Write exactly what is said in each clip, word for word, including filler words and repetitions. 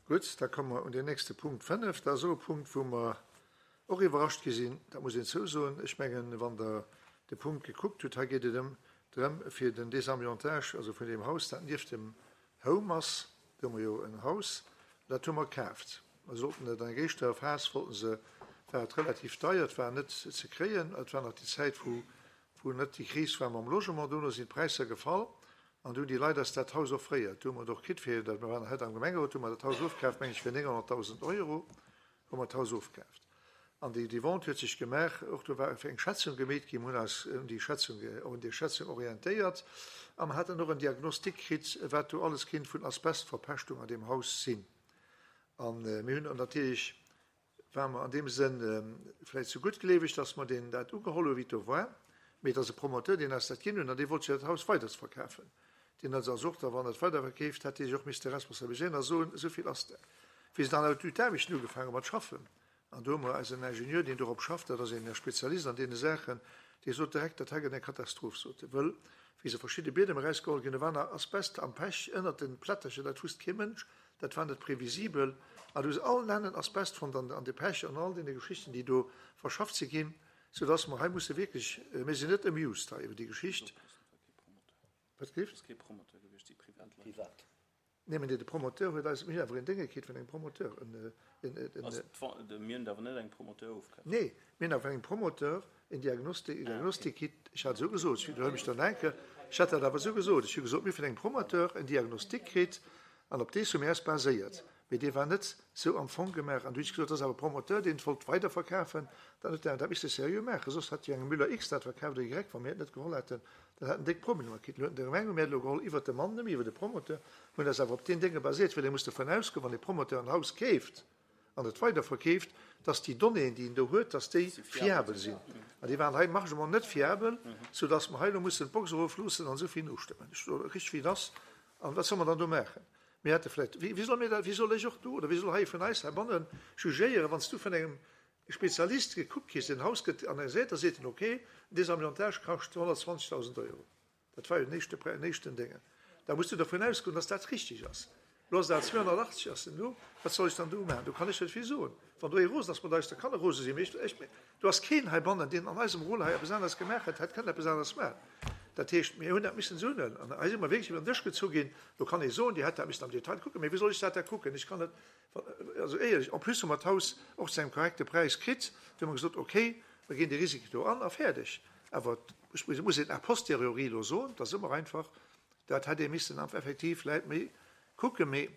Gutt, da komme mer un den nächste Punkt fënnef. Dat ass och e Punkt, wou mer och iwwerrascht gi sinn, dat muss een zousoen. Ech mengen, wann Der de Punkt gekuckt hutt, hei geet et ëm drëm fir den Désamiantage, also vun deem Haus, dat nieft dem Home ass, do hu mer jo en Haus, dat hu mer kaaft. Mer sollten et an enger éischter Phas, wollten se, war et relativ deier, et war net ze kréien, et war nach déi Zäit, wou, wou net déi Kris war mam Logement, dono sinn d'Präisser gefall an du hunn déi Leit eis dat Haus offréiert. Du hu mer et och kritt fir, dat mer waren hei am Gemengerot, hu mer dat Haus ofkaaft, meng ech, fir nénghonnertdausend Euro hu mer d'Haus ofkaaft. An déi, déi Vente huet sech gemaach, och do war eng Schätzung gemeet ginn, mir hunn eis un déi Schätzung, un déi Schätzung orientéiert a mer haten och en Diagnostic kritt, wat do alles kinnt vun Asbestverpeschtung an deem Haus sinn. An mir hunn natierlech, ware mer an deem Sënn vläicht zu guttgleeweg, dass mer deen dat ugeholl hu wéi et do war, mee et ass e Promoteur, deen eis dat ginn hunn an dee wollt jo dat Haus weiderverkafen. Deen huet also och da, wann et weiderverkeeft, hätt dee sech och misste responsabiliséieren a soen, esou vill ass dat. Wéi se dann awer d'Aarbechten ugefaangen hu mat schaffen, an do hu mer eisen Ingenieur, deen dorop schafft, dat ass een Spezialist an deene Saachen, dee sot direkt, dat hei gëtt eng Katastroph, sot e, wëll wéi se verschidde Biedem erausgeholl ginn, do war nach Asbest am Pech ënnert de Plättercher, dat wusst kee Mënsch, dat war net previsibel, an du hu se all nennen Asbest fonnt an an de Pech an all deene Geschichten, déi do verschafft si ginn, soudass mer hei musse wierklech, mir sinn net amused hei iwwer déi Geschicht. Wat gelift? Ass kee Promoteur gewiescht, si Privatleit. Privat. Nee, mä de Promoteur huet eis, mir hunn awer een Dénge kritt vun engem Promoteur, en, en, en. Also d'Vente, mir hunn awer net engem Promoteur ofkaf. Nee, mir hunn awer engem Promoteur en Diagnostic, en Diagnostic kritt, ech hat esou gesot, ech widderhuele mech dann enke, ech hat dat awer esou gesot, ech hu gesot, mir hu vun engem Promoteur en Diagnostic kritt an op dees hu mir eis baséiert. Mee dee war net sou am Fong gemaach. An du hunn ech gesot, dat ass awer e Promoteur, deen et wollt weiderverkafen, dann huet en dat misse seriö maachen, soss hätt jo engem Müller X dat verkaaft oder Y, wa mir et net geholl hätten, dann hätt en déck Problemer kritt. Lo huet de Gemeng, hu mir et elo geholl iwwert de Mann, net méi iwwer de Promoteur, hunn eis awer op deen Dénge baséiert, well ee muss dovun ausgoen, wann e Promoteur en Haus keeft an et weiderverkeeft, dass déi Donnéeën, déi en do huet, dass déi fiabel sinn. An déi waren hei margement net fiabel, soudass mer hei elo mussen d'Box erofloossen an esou vill nostëmmen. Ech soe richteg, wéi et ass. An wat solle mer dann do maachen? Mir hätte vläicht, wéi, wéi solle mir dat, wéi soll ech och do oder wéi soll hei vun eis heibanne jugéieren, wann s du vun engem Spezialist gekuckt kriss, deen Haus gëtt analyséiert, da seet en, okay, Désamiantage kascht honnertzwanzegdausend Euro. Dat war jo den éischte, den éischten Déngen. Da muss du dervun ausgoen, dass dat richtig ass. Elo ass dat zweehonnertachtzeg ass en elo. Wat soll ech dann do maachen? Do kann ech net vill soen. Wann do ee rosen ass mat eis, da kann e rose sinn. Mee ech, ech, do ass keen heibannen, deen an eisem Rôle hei eppes aneres gemaach hätt, hätt kënnen eppes aneres maachen. Dat heescht, mir hunn dat missen esou huelen. An hei si mer wierklech iwwer den Dësch gezu ginn. Do kann ee soen, Dir hätt dat missen am Detail kucken. Mee wéi soll ech dat da kucken? Ech kann net, also éierlech, en plus hu mer d'Haus och zu engem korrekte Präis kritt. Do hu mer gesot, okay, mer ginn dee Risiko do an a fäerdeg. Awer ech muss een a posteriori elo soen, dat ass ëmmer einfach, dat hätt ee missen effektiv vläicht méi kucken. Mee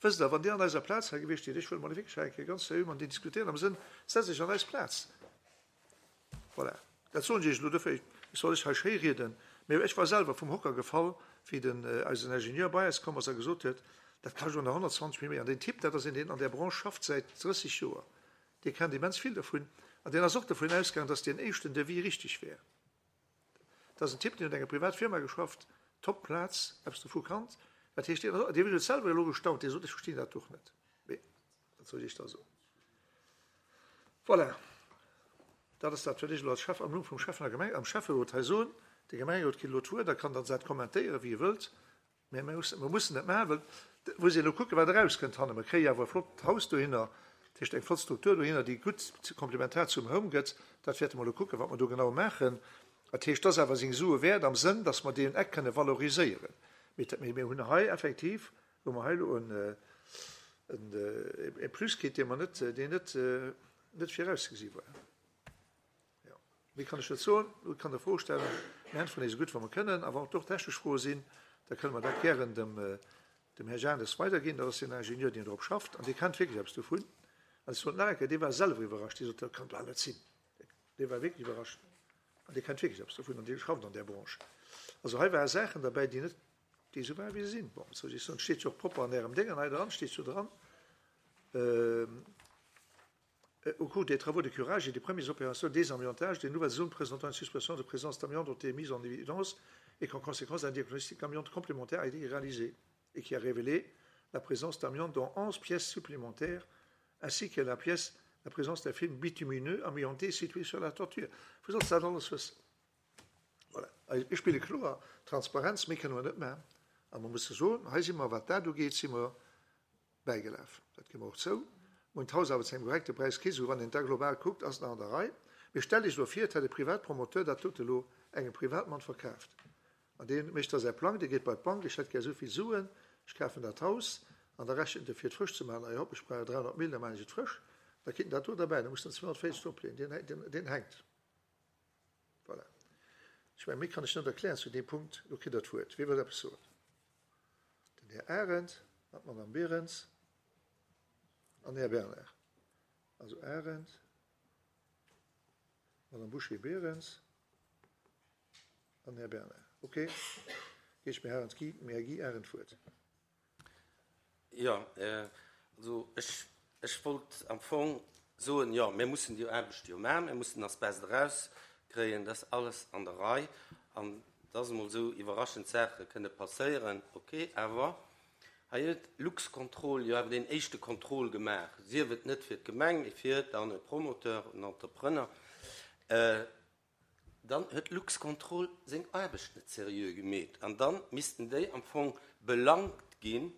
wësst Der, wann Dir an eiser Plaz hei gewiescht wiert, ech wëll mol wierklech hei eng Kéier ganz seriö mat Dir diskutéieren am Sënn, setz Iech an eis Plaz. Voilà, dat soen ech Iech elo. Dofir, ech soll lech hei schéi rieden, mee ech war selwer vum Hocker gefall, wéi den eisen Ingenieur bei eis komm ass a gesot huet, dat kascht elo nach honnertzwanzeg Mio méi. An deen Typ, dat ass een, deen an där Branche schafft säit drësseg Joer, dee kennt immens vill dervun an deen ass och dovun ausgaangen, dass deen éischten Devis richtig wär. Dat ass en Typ, deen huet an enger Privatfirma geschafft, top Plaz, eppes dovu kannt. Dat heescht, deen deen huet selwer elo gestaunt, dee sot, ech verstinn dat och net. Mee wat soll ech da soen? Voilà, dat ass dat, wat ech elo als Schäff am Numm vum Schäffen a Gemeng, am Schäfferot hei soen. De Gemengerot kritt elo d'Wuert a kann dann dat kommentéieren, wéi e wëllt. Mä mir mussen, mir mussen dat maachen, well et muss een elo kucken, wat erauskënnt hannen. Mer kréie jo awer e flott Haus dohinner, dat heescht eng flott Struktur dohinner, déi gutt komplementar zum Home gëtt. Dat wäerte mer elo kucken, wat mer do genau maachen. Dat heescht, dat ass awer seng Sue wäert am Sënn, dass mer deen Eck kënne valoriséieren. Mee mir hunn hei effektiv, hu mer hei elo en, en, e Plus kritt, dee mer net, deen net, net virauszegesi war. Jo, méi kann ech net soen. Elo kann Der Froe stellen. Mir äntweren déi esou gutt wéi mer kënnen. A wann et och technesch Froe sinn, da kënne mer dat gären dem, dem Här Janes weiderginn. Dat ass deen Ingenieur, deen drop schafft an dee kennt wierklech eppes dovun. An ech soen nach eng Kéier, dee war selwer iwwerrascht. Dee sot, Dat kann bal net sinn. Dee war wierklech iwwerrascht. An dee kennt wierklech eppes dovun an dee schafft an där Branche. Also hei ware Saachen derbäi, déi net, déi esou waren, wéi se sinn. Bon, wat soll ech soen, et steet jo och propper an Ärem Déngen hei dran, steet jo dran, Au cours des travaux de curage et des premières opérations de désamiantage, des nouvelles zones présentant une suspicion de présence d'amiante ont été mises en évidence et qu'en conséquence un diagnostic amiante complémentaire a été réalisé et qui a révélé la présence d'amiante dans onze pièces supplémentaires ainsi que la pièce la présence d'un film bitumineux amianté situé sur la toiture. Wou solls de dat alles wëssen? Voilà. Ech spille kloer Transparenz, méi kënne mer net maachen. A mer musse soen, hei si mer, wat dat ugeet, si mer bäigelaf. Dat gi mer och zou. Mir hunn d'Haus awer zu engem korrekte Präis kritt, esou wann een da global kuckt, ass et nach an der Rei. Mee stellt Iech elo vir, et hätt e Privatpromoteur dat dote elo engem Privatmann verkaaft. An dee mécht da säi Plang, dee geet bei d'Bank, ech hätt gär esou vill Suen, ech kafen dat Haus. An da rechent e fir et frësch ze maachen, ah jo, hopp, ech brauch dräihonnert Mille, da maachen ech et frësch. Da kritt en dat do derbäi, da muss en zweehonnertvéierzeg dropleeën, deen, deen hänkt. Voilà. Ech mengen, méi kann ech net erklären zu deem Punkt. Elo kritt Der d'Wuert. Wie wëllt eppes soen? Den Här Arendt an d'Madame Berens an den Här Bernard. Also Arendt, Madame Bouché-Berens an den Här Bernard. Okay. Ginn ech dem Här Arendt Guy, dem Här Guy Arendt d'Wuert. Jo, also ech, ech wollt am Fong soen, jo, mir mussen déi Aarbecht jo maachen, mir mussen Asbest erauskréien, dat ass alles an der Rei. An dass emol esou iwwerraschend Saache kënne passéieren, okay, awer hei huet Luxcontrol jo awer deen éischte Contrôle gemaach, sief et net fir d'Gemeng, mee fir dann e Promoteur, en Entrepreneur. Dann huet Luxcontrol seng Aarbecht net seriö gemeet an dann missten déi am Fong belangt ginn,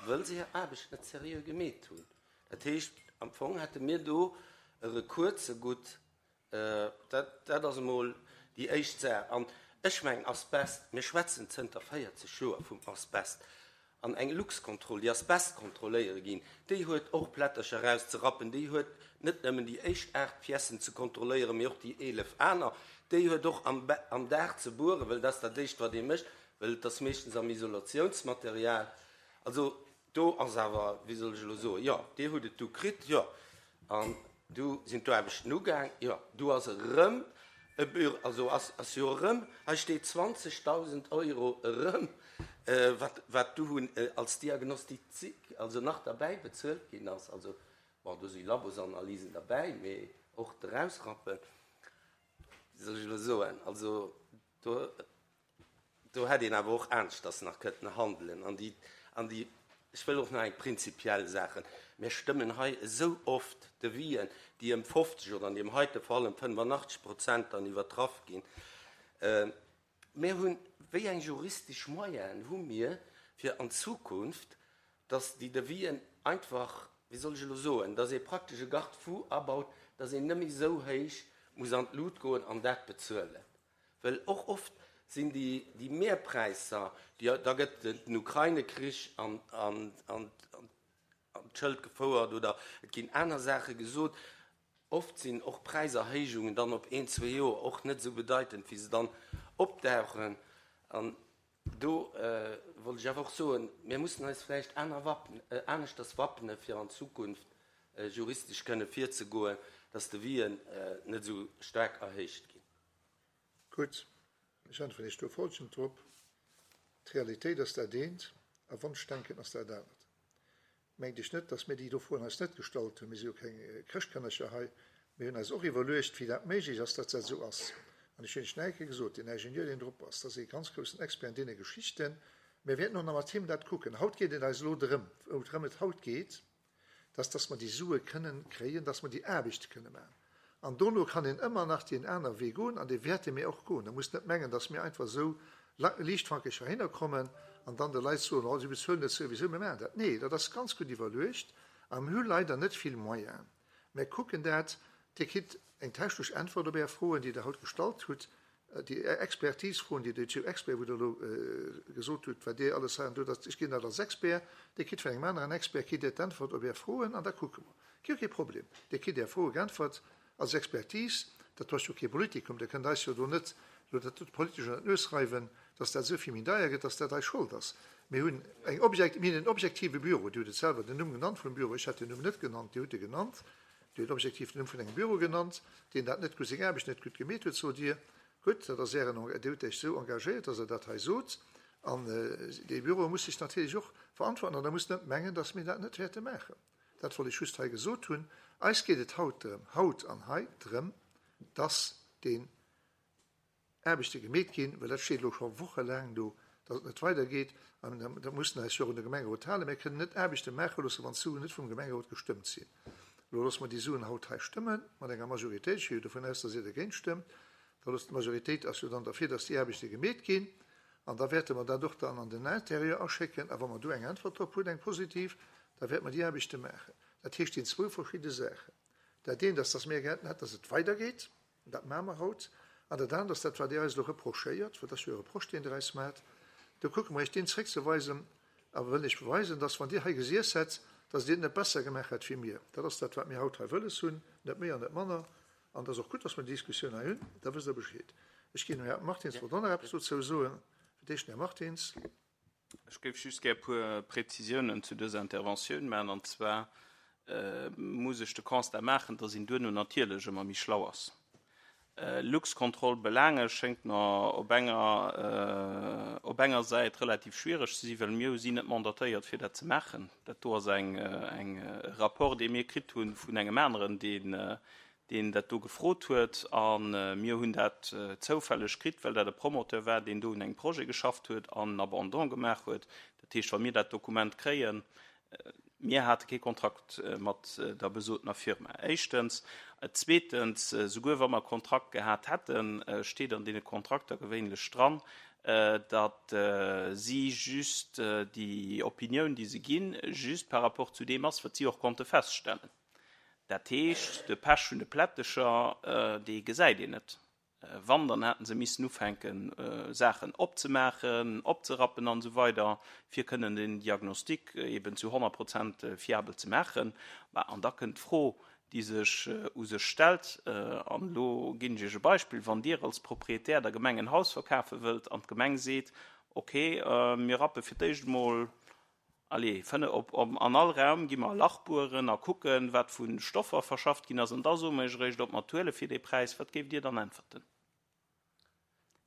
wëll se hir Aarbecht net seriö gemeet hunn. Dat heescht, am Fong hätte mir do e Recours zegutt. Dat, dat ass emol déi éischt Saach. An ech mengen, Asbest, mir schwätzen zënter véierzeg Joer vum Asbest. An eng Luxcontrol, déi Asbest kontrolléiere ginn, déi huet och Plättercher erauszerappen, déi huet net nëmmen déi éischt aacht Piècen ze kontrolléieren, mee och déi eelef aner, déi huet och am, am Daach ze bueren, well dat ass dat éischt, wat ee mécht, well et ass meeschtens am Isolatiounsmaterial. Also do ass awer, wéi soll ech elo soen, jo, Dir hutt et du kritt, jo, an du sinn d'Aarbechten ugaang, jo, du ass erëm e Büro, also ass, ass jo erëm, hei steet zwanzegdausend Euro erëm, wat, wat du hunn als Diagnostic, also nach derbäi bezuelt ginn ass. Also, bon, do si Labosanalysen derbäi, mee och d'Erausrappen, wéi soll ech elo soen, also do, do hätt een awer och aneschters nach kënnten handelen. An déi, an déi, ech wëll och nach eng prinzipiell Saachen, mir stëmmen hei esou oft Devisen, déi ëm fofzeg oder an deem heite Fall ëm fënnefenachtzeg Prozent dann iwwertraff ginn. Mir hunn, wéi eng juristesch Moyenen hu mir, fir an Zukunft, dass déi Devisen einfach, wéi soll ech elo soen, dass ee praktesch e Garde-fou abaut, dass een net méi esou héich muss an d'Lut goen an dat bezuelen? Well och oft sinn déi, déi Mehrpräisser, déi, da gëtt den Ukraine-Krich an, an, an, an d'Schëld gefouert oder et ginn aner Saache gesot. Oft sinn och Präiserhéijungen dann op een, zwee Joer och net esou bedeitend, wéi se dann opdauchen. An do wollt ech awer och soen, mir mussen eis vläicht aner wappnen, aneschters wappnen, fir an Zukunft juristesch kënne virzegoen, dass d'Devisen net esou staark erhéicht ginn. Gutt, ech äntweren Iech do folgend drop, D'Realitéit ass dat eent a Wonschdenken ass dat anert. Mengt Iech net, dass mir déi do Froen eis net gestallt hunn. Mir si jo keng Chrëschtkënnercher hei. Mir hunn eis och iwwerluecht, wéi dat méiglech ass, dass dat esou ass. An ech hunn Iech nach eng Kéier gesot, deen Ingenieur, deen drop ass, dat ass ee ganz groussen Expert an deene Geschichten. Mir wäerten och nach mat him dat kucken. Haut geet et eis elo drëm, woudrëm et haut geet, dass, dass mer déi Sue kënnen kréien, dass mer déi Aarbechte kënne maachen. An dono kann een ëmmer nach deen aner Wee goen, an dee wäerte mir och goen. Der musst net mengen, dass mir einfach esou liichtfankeg heihinner kommen an dann de Leit soen, oh, si bezuelen dat souwisou, mir maachen dat. Nee, dat ass ganz gutt iwwerluecht a mir hu leider net vill Moyenen. Mir kucken dat. Dir kritt eng technesch Äntwert op Är Froen, déi Der haut gestallt hutt, déi Expertisefroen, déi Dir, Expert, wou Der elo gesot hutt, wat Dir alles hei an do, dat, ech ginn dat als Expert, Dir kritt vun engem aneren Expert kritt Dir d'Äntwert op Är Froen an da kucke mer. Gi jo kee Problem. Dir kritt Är Froe geäntwert als Expertise. Dat ass jo kee Politikum. Dir kënnt eis jo do net elo dat do politesch ënner d'Nues reiwen, dass dat esou vill méi deier gëtt, dass dat eis Schold ass. Mir hunn eng objekt, mir hunn en objektive Büro. Dir hutt et selwer den Numm genannt vum Büro. Ech hat den Numm net genannt, Dir hutt e genannt. Dir hutt objektiv den Numm vun engem Büro genannt, deen dat net gutt, seng Aarbecht net gutt gemeet huet, sot Dir. Gutt, dat ass Ären, Dir hutt Iech esou engagéiert, dass Der dat hei sot. An dee Büro muss sech natierlech och verantworten. An Der musst net mengen, dass mir dat net wäerte maachen. Dat wollt ech just hei gesot hunn. Eis geet et haut drëm, haut an hei drëm, dass deen Aarbechte gemeet ginn, well dat steet elo scho wochelaang do, dass et net weidergeet. An da mussen eis jo och un de Gemengerot halen. Mir kënnen net Aarbechte maache loosse, wann d'Suen net vum Gemengerot gestëmmt sinn. Elo loosse mer déi Suen haut hei stëmmen, mat enger Majoritéit. Ech gi jo dovun aus, dass Dir dergéint stëmmt. Da loosst d'Majoritéit ass jo dann derfir, dass déi Aarbechte gemeet ginn. An da wäerte mer dat och dann an den Intérieur aschécken. A wa mer do eng Äntwert drop hunn, eng positiv, da wäerte mer déi Aarbechte maachen. Dat heescht, et sinn zwou verschidde Saachen. Dat eent ass, dass mir gär hätten, dass et weidergeet, an dat maache mer haut, an dat anert ass dat, wat Dir eis elo reprochéiert, well dat ass jo e Reproche, deen Der eis maacht, do kucke mer Iech deen zréckzeweisen a wëllen Iech beweisen, dass, wann Dir hei gesiess hätt, dass Dir et net besser gemaach hätt wéi mir. Dat ass dat, wat mir haut hei wëlles hunn, net méi an net manner. An et ass och gutt, dass mer déi Diskussioun hei hunn, da wësst Der Bescheed. Ech ginn dem Här Martins d'Wuert, och nach eppes dozou soen. Fir d'éischt den Här Martins. Ech géif just gär e puer Präzisiounen zu dëser Interventioun maachen. An zwar muss ech de Constat maachen, dass een duerno natierlech ëmmer méi schlau ass. Luxcontrol Belaange schéngt mer op enger op enger Säit relativ schwiereg ze sinn, well mir sinn net mandatéiert fir dat ze maachen. Dat do ass eng eng e Rapport, dee mir kritt hunn vun engem aneren, deen deen dat do gefrot huet a mir hunn dat zoufälleg kritt, well dat e Promoteur war, deen do un engem Projet geschafft huet an en Abandon gemaach huet. Dat heescht, wa mir dat Dokument kréien, mir hate kee Kontrakt mat der besotener Firma, éischtens. Zweetens, souguer wa mer e Kontrakt gehat hätten, steet an deene Kontrakter gewéinlech dran, datt si just déi Opinioun, déi se ginn, just par rapport zu deem ass, wat si och konnte feststellen. Dat heescht, de Pech vun de Plättecher, dee gesäit een net. Wann, dann hätten se missen ufänken, Saachen opzemaachen, opzerappen an esou weider, fir kënnen den Diagnostic eben zu honnert Prozent fiabel ze maachen. Mä, an da kënnt d'Fro, déi sech u sech stellt, an elo ginn ech Iech e Beispill, Wann Dir als Proprietär der Gemeng en Haus verkafe wëllt an d'Gemeng seet, Okay, mir rappe fir d'éischt emol, allez, fënne op, op, an all Raum gi mer e Lach bueren a kucken, wat vu Stoffer verschafft ginn ass, an da soe mer Iech eréischt, ob mer et huele fir dee Präis, wat géift Dir dann äntwerten?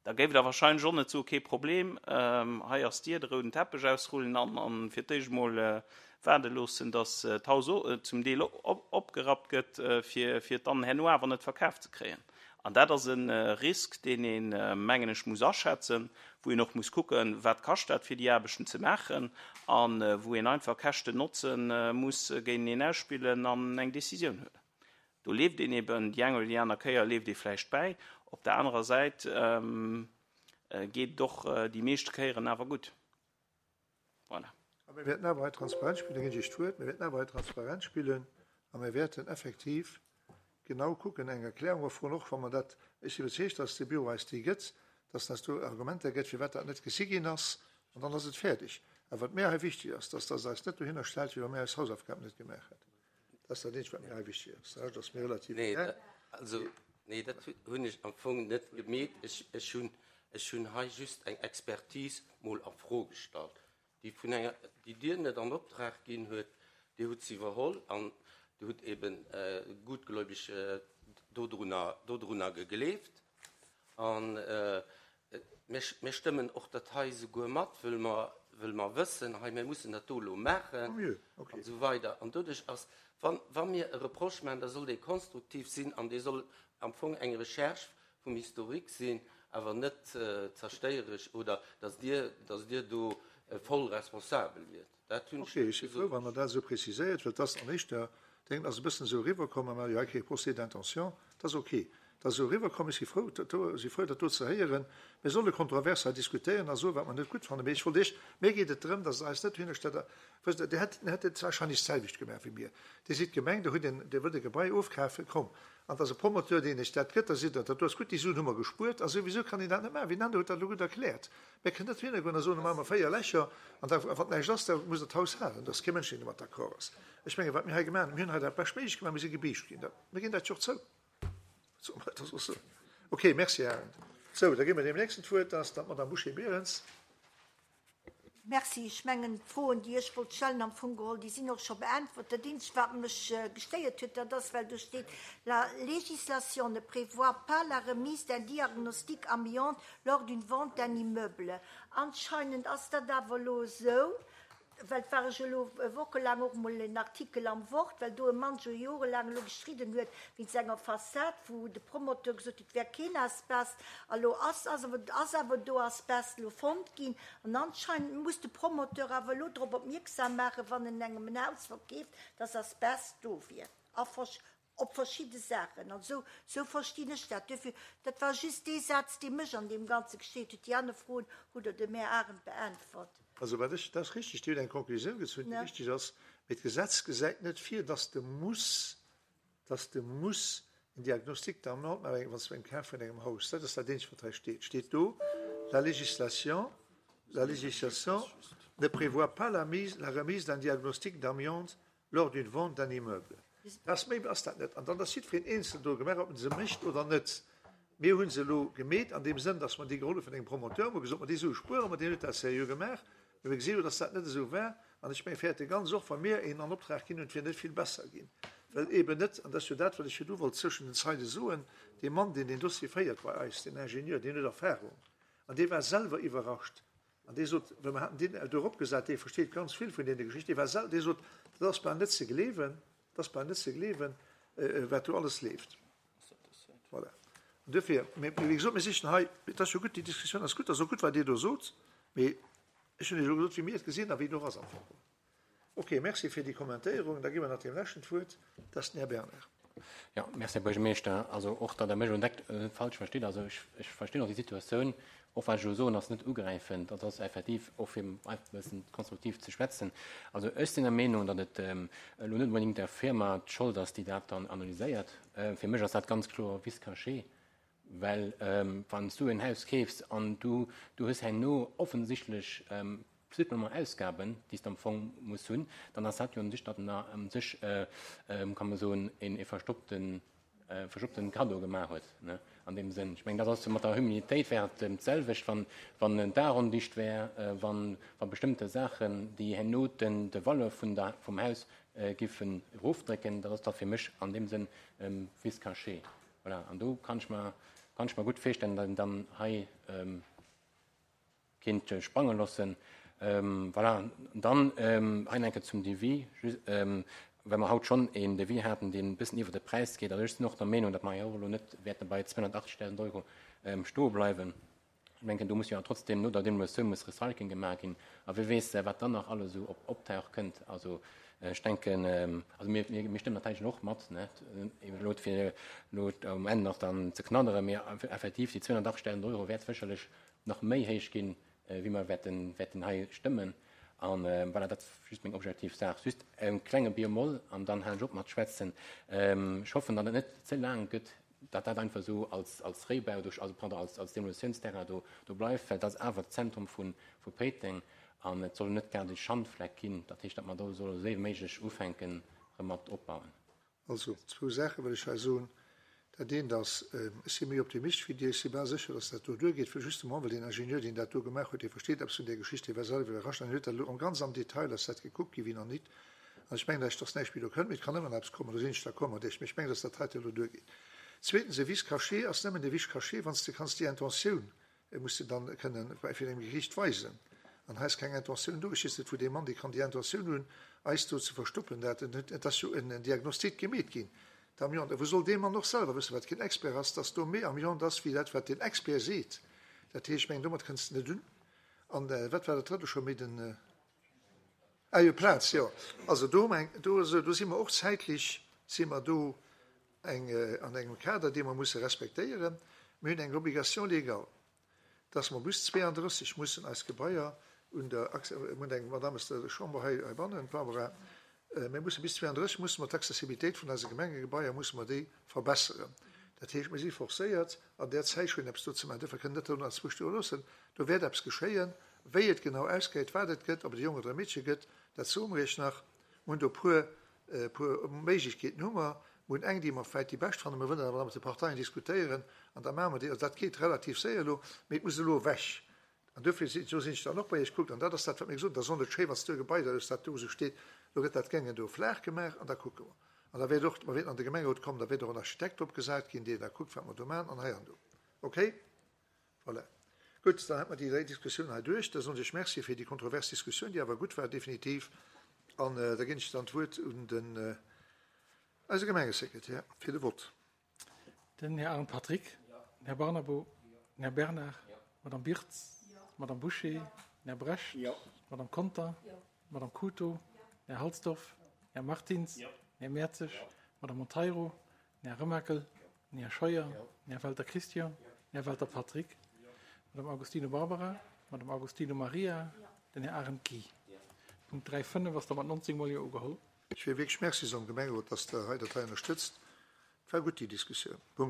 Da géift Der wahrscheinlech och net soen, kee Problem, hei ass d'Dier, de rouden Teppech ausrullen an, an fir d'éischt emol waarde loossen, datt d'Haus zum Deel opgerappt gëtt, fir, fir et dann herno awer net verkaf ze kréien. An dat ass e Risk, deen een, mengen ech, muss aschätzen, wou een och muss kucken, wat kascht dat, fir déi Aarbechten ze maachen, a wou een einfach Käschten-Notze muss géinteneen ausspillen an eng Décisioun huelen. Do leeft een eben déi eng oder déi aner Kéier leeft ee vläicht bäi. Op der anerer Säit geet et och déi meeschte Kéieren awer gutt. Voilà. A mir wäerten awer hei transparent spillen, da ginn ech Iech d'Wuert, mir wäerten awer hei transparent spillen a mir wäerten effektiv genau kucken, eng Erklärung erfroen, och wa mer dat, ech sinn iwwerzeegt, dass de Büro eis déi gëtt, dass en eis do Argumenter gëtt, firwat dat net gesi ginn ass, an dann ass et fäerdeg. Awer wat mir hei wichteg ass, dass Der eis net dohinner stellt, wéi wa mir eis Hausaufgaben net gemaach hätten. Dat ass dat Eenzegt, wat mir hei wichteg ass. De Rescht ass mir relativ Nee, egal. also, nee, dat hunn ech am Fong net gemeet. Ech, ech hunn, ech hunn hei just eng Expertise mol a Fro gestallt, déi vun enger, déi Dir net an Optrag ginn huet, Dir hutt se iwwerholl an Dir hutt eben gutgläubig dodrunner, dodrunner gegleeft. An mir, mir stëmmen och dat hei souguer mat, wëll mer, wëll mer wëssen, hei, mir mussen dat do elo maachen Tant mieux, okay. an esou weider. An doduerch ass, wann, wa mir e Reproche maachen, da soll dee konstruktiv sinn an dee soll am Fong eng Recherche vum Historique sinn, awer net zerstéieresch oder dass Dir, dass Dir do voll responsabel wiert. Dat hunn ech Okay, ech si frou, gesot. wann Der dat esou preziséiert, well dass an éischter Déngen ass e bëssen esou eriwwerkomm, mä jo hei kee Procès d'intention, dat ass okay. Dat ass esou eriwwerkomm, ech si frou, dat do, si frou, dat do ze héieren. Mir solle kontrovers hei diskutéieren a soen, wat mer net gutt fannen, mee ech wollt Iech, mir geet et drëm, dass Der eis net dohinnerstellt, wësst Der, Dir hätt, Dir hätt et wahrscheinlech d'selwecht gemaach wéi mir. Dir sidd d'Gemeng, Der hutt en, Dir wëllt e Gebai ofkafen, komm, an et ass e Promoteur, deen Iech dat gëtt, da seet Der, dat do ass gutt, déi Suen hu mer gespuert, a souwisou kann een dat net maachen. Wien aner huet dat elo gutt erkläert. Mir kënnen net dohinnergoen a soen, da maache mer véier Lächer an da, wann näischt ass, da muss Der d'Haus halen. Do ass kee Mënsch, deen domat d'accord ass. Ech mengen, wat mir hei gemaach hunn, mir hunn hei dat Beschtméiglecht gemaach, mir si gebiischt ginn. Mir ginn dat jo och zou. Wat solle mer da soss soen? Okay, merci, Här Arendt. Sou, da gi mer deem Nächsten d'Wuert, dat ass dann d'Madame Bouché-Berens. Merci. Ech mengen, d'Froen, déi ech wollt stellen, am Fong geholl, déi sinn och scho beäntwert. Dat Eenzegt, wat mech gestéiert huet, dat ass, well do steet, La législation ne prévoit pas la remise d'un diagnostic amiante lors d'une vente d'un immeuble. Anscheinend ass dat awer elo esou, well et war ech elo wochelaang och mol en Artikel am Wort, well do e Mann scho jorelaang elo gestridden huet wéinst enger Fassad, wou de Promoteur gesot huet, et wär keen Asbest. A lo ass ass awer do Asbest elo fonnt ginn. An anscheinend muss de Promoteur awer elo drop opmierksam maachen, wann en engem en Haus verkeeft, dass Asbest do wier a op verschidde Saachen. An esou esou verstinn ech dat. Duerfir, dat war just dee Saz, dee mech an deem Ganze gestéiert huet. Déi aner Froen hutt Der dem Här Arendt beäntwert. Also wat ech, dat ass richtig, Dir hutt eng Konklusioun gezunn, déi richtig ass. Mee d'Gesetz gesäit net vir, dass de muss, dass de muss en Diagnostic d'amiante maachen, wann s de beim Kaf vun engem Haus, dat ass dat eenzegt, wat hei steet, steet do, La législation, la législation ne prévoit pas la mise, la remise d'un diagnostic d'amiante lors d'une vente d'un immeuble. Dat ass, méi ass dat net. An dann ass jiddwereen eenzel do gemaach, ob en se mécht oder net. Mir hu se elo gemeet an deem Sënn, dass mer déi geholl hu vun engem Promoteur, hu gesot, ma déi Sue spuere mer, deen huet dat seriö gemaach. Mee mir gesinn elo, dass dat net esou war. An ech mengen, fäerte ganz och, wa mir een an Optrag ginn hunn, et wier net vill besser ginn. Well eeben net, an dat ass jo dat, wat ech virdu wollt zwëschen den Zeile soen, dee Mann, deen deen Dossier féiert bei eis, deen Ingenieur, deen huet Erfahrung. An dee war selwer iwwerrascht. An dee sot, well mer haten deen do eropgesat, dee versteet ganz vill vun deene Geschichten, dee war sel-, dee sot, dat ass bal net ze gleewen, dat ass bal net ze gleewen, wat do alles leeft. Voilà. An duerfir, mee wéi gesot, mir sichen hei, et ass jo gutt, déi Diskussioun ass gutt, ass och gutt, wat Dir do sot, mee ech hunn Iech elo gesot, wéi mir et gesinn a wéi et och ass am Fong. Ok, merci fir déi Kommentéierung. Da gi mer nach deem leschten d'Wuert, dat ass den Här Bernard. Jo, merci, Här Buergermeeschter. Also och, datt Der mech elo net falsch verstitt. Also ech, ech verstinn och déi Situatioun. Och wat ech elo soen, ass net ugräifend. Dat ass effektiv och fir einfach e bëssen konstruktiv ze schwätzen. Also ech sinn der Meenung, datt et elo net onbedéngt der Firma d'Schold ass, déi dat dann analyséiert. Fir mech ass dat ganz kloer Vice caché. Well wann s du en Haus keefs an du, du hues herno offensichtlech supplément Ausgaben, déi s de am Fong muss hunn, dann ass dat jo un sech, datt en u sech, kann man soen, een e verstoppten, verstoppten Cadeau gemaach huet, ne, an deem Sënn. Ech mengen, dat ass mat der Humilitéit wär et d'selwecht, wann, wann en Daach ondicht wär, wann, wa bestëmmte Saachen, déi herno den, de Valeur vun der, vum Haus giffen erofdrécken, dat ass da fir mech an deem Sënn vice caché. Voilà, an do kann ech mer, kann ech mer gutt virstellen, datt een dann hei kinnt sprange loossen. Voilà, an dann hei nach eng Kéier zum Devis, just, well mer haut schonn een Devis haten, deen e bëssen iwwer de Präis geet. Also ech sinn och der Meenung, datt mer hei och elo net wäerte bei zweehunnertachtzigtausend Euro stoe bleiwen. Ech mengen, do muss jo trotzdem no der Demolitioun muss Recycling gemaach ginn. A wie weess, wat dann nach alles esou op optauche kënnt. Also ech denken, also mir, mir, mir stëmmen natierlech och mat, ne, eben elo fir elo um Enn nach dann ze knadderen, mee effektiv déi zweehunnertachtzigtausend Euro wäert sécherlech nach méi héich ginn, wéi mer wäerten, wäerten hei stëmmen. An voilà, dat ass just meng objektiv Saach. Just e klenge Bémol an dann halen ech op mat schwätzen. Ech hoffen, datt et net ze laang gëtt, datt dat einfach esou als, als Réibau do, also pardon, als, als Demolitiounsterrain do, do bleift, well dat ass awer d'Zentrum vu, vu Péiteng an et soll net grad e Schandfleck ginn. Dat heescht, datt mer do solle esou séier wéi méiglech ufänken, erëm mat opbauen. Also, zwou Saache wëll ech hei soen. Dat eent ass, ech si méi Optimist wéi Dir, ech si bal sécher, dass dat do duergeet, well justement, well deen Ingenieur, deen dat do gemaach huet, dee versteet eppes vun där Geschicht, dee war selwer iwwerrascht an huet dat elo ganz am Detail ass dat gekuckt gi wéi nach nit. An ech mengen, dass dass näischt méi do kënnt, mee et kann ëmmer nach eppes kommen, do sinn ech d'accord mat Iech, mee ech mengen, dass dat heite elo duergeet. Zweetens, e Vice caché ass nëmmen e Vice caché, wann s de kanns déi Intentioun muss de dann kënnen virun engem Geriicht weisen. An hei ass keng Intentioun do. Ech weess net, wou dee Mann, dee kann déi Intentioun hunn, eis do ze verstoppen, dat en huet, et ass jo en Diagnostic gemeet ginn d'Amiante. Wou soll dee Mann och selwer wëssen, wat keen Expert ass, dass do méi Amiante ass wéi dat, wat den Expert seet? Dat heescht, ech mengen, domat kënns de net un. An wat war dat Drëtte scho méi? Den, ah jo, Plaz, jo. Also do, meng, do, do si mer och zäitlech, si mer do eng, an engem Kader, dee mer musse respektéieren. Mir hunn eng Obligation légale, dass mer bis zweeandrësseg mussen eis Gebaier un der, mir hunn eng Madame aus der Chamber hei heibannen, d'Barbara, mir musse bis zweeandrësseg musse mer d'Accessibilitéit vun eise Gemengegebaier musse mer déi verbesseren. Dat heescht, mir si forcéiert, an där Zäit schonn eppes do ze maachen. Duerfir kënnen net do nach zwou stoe loossen. Do wäert eppes geschéien. Wéi et genau ausgeet, wat et gëtt, ob et e Jong oder e Meedche gëtt, dat soe mer Iech nach. Mir hunn do e puer, e puer Méiglechkeeten hu mer. Mir hunn eng, déi mer vläicht déi bescht fannen. Mir wëllen awer nach mat de Parteien diskutéieren an da maache mer déi. Also dat geet relativ séier elo, mee et muss elo ewech. An duerfir si, do sinn ech dann och bei Iech. Kuckt, an dat ass dat, wat mir gesot hunn, da soll net schéi, wann s du e Gebai da hues, dat do esou steet, elo gëtt dat Géngen do flaach gemaach an da kucke mer. An da wäert och, mer wäerten an de Gemengerot kommen, da wäert och en Architekt opgesat ginn, deen da kuckt, wat mer do maachen an hei an do. Okay? Voilà. Gutt, dann hätte mer déi dräi Diskussioun hei duerch. Da soen ech Merci fir déi kontrovers Diskussioun, déi awer gutt war, definitiv. An da ginn ech dann d'Wuert un den eise Gemengesekretär fir de Vott. Den Här Arendt Patrick, den Här Barnabo, den Här Bernard, d'Madame Birtz, d'Madame Bouché, den Här Brecht, d'Madame Conter, d'Madame Couto, den Här Halsdorf, den Här Martins, den Här Mertzig, d'Madame Monteiro, den Här Remakel, den Här Scheuer, den Här Welter Christian, den Här Welter Patrick, d'Madame Agostino Barbara, d'Madame Agostino Maria, den Här Arendt Guy. Punkt dräi fënnef ass da mat neunzeg Mol Jo ugeholl. Ech wéll wierklech Merci soen dem Gemengerot, dass Der hei dat hei ënnerstëtzt. Et war gutt, déi Diskussioun. Punkt.